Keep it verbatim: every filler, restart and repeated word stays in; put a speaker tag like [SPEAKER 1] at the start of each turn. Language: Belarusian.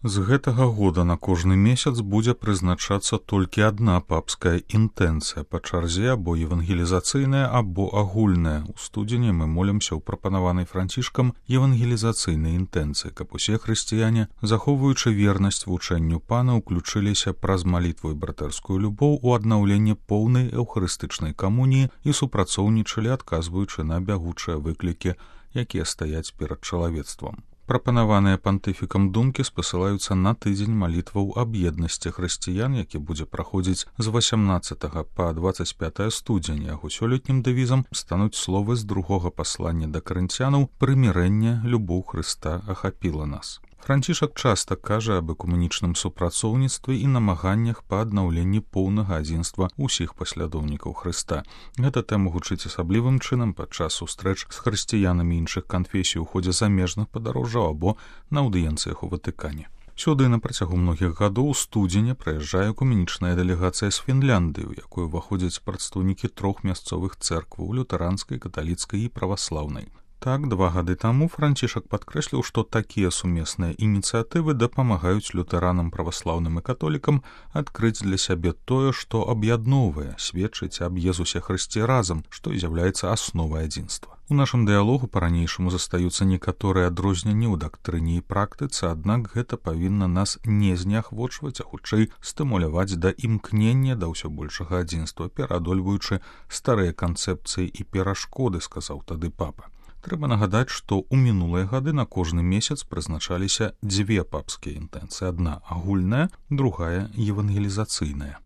[SPEAKER 1] З гэтага года на кожны месяц будзе прызначацца толькі адна папская інтэнцыя па чарзе або евангелізацыйная, або агульная. У студзені мы молімся ў прапанаванай Францішкам евангелізацыйнай інтэнцыі, каб усе хрысціяне, захоўваючы вернасць вучэнню Пана, уключыліся праз малітву і братэрскую любоў у аднаўленне поўнай эўхарыстычнай камуніі і супрацоўнічалі, адказваючы на бягучыя выклікі, якія стаяць перад чалавецтвам. Прапанаваныя пантыфікам думкі спасылаюцца на тыдзень малітваў аб еднасці хрысціян, які будзе праходзіць з васямнаццатага па дваццаць пятае студзеня. Яго сёлетнім дэвізам стануць словы з другога паслання да карынцянаў «Прымірэнне, любоў Хрыста ахапіла нас». Францішак часта кажа аб экумэнічным супрацоўніцтве і намаганнях па аднаўленні поўнага адзінства ўсіх паслядоўнікаў Хрыста. Гэта тэма гучыць асаблівым чынам падчас сустрэч з хрысціянамі іншых канфесій у ходзе замежных падарожжаў або на аўдыенцыях у Ватыкане. Сюды на працягу многіх гадоў у студзені прыязджае экумэнічная дэлегацыя з Фінляндыі, у якую ўваходзяць прадстаўнікі трох мясцовых цэркваў — лютэранскай, каталіцкай і праваслаўнай. Так, два гады таму Францішак падкрэсліў, што такія сумесныя ініцыятывы дапамагаюць лютэранам, праваслаўным і католікам адкрыць для сябе тое, што аб'ядноўвае, сведчыць аб Езусе Хрысце разам, што і з'яўляецца асновай адзінства. У нашым дыялогу па-ранейшаму застаюцца некаторыя адрозненні ў дактрыне і практыцы, аднак гэта павінна нас не зняхвочваць, а хутчэй стымуляваць да імкнення да ўсё большага адзінства, пераадольваючы старыя канцэпцыі і перашкоды, сказаў тады папа. Трэба нагадаць, што ў мінулыя гады на кожны месяц прызначаліся дзве папскія інтэнцыі. Адна агульная, другая евангелізацыйная.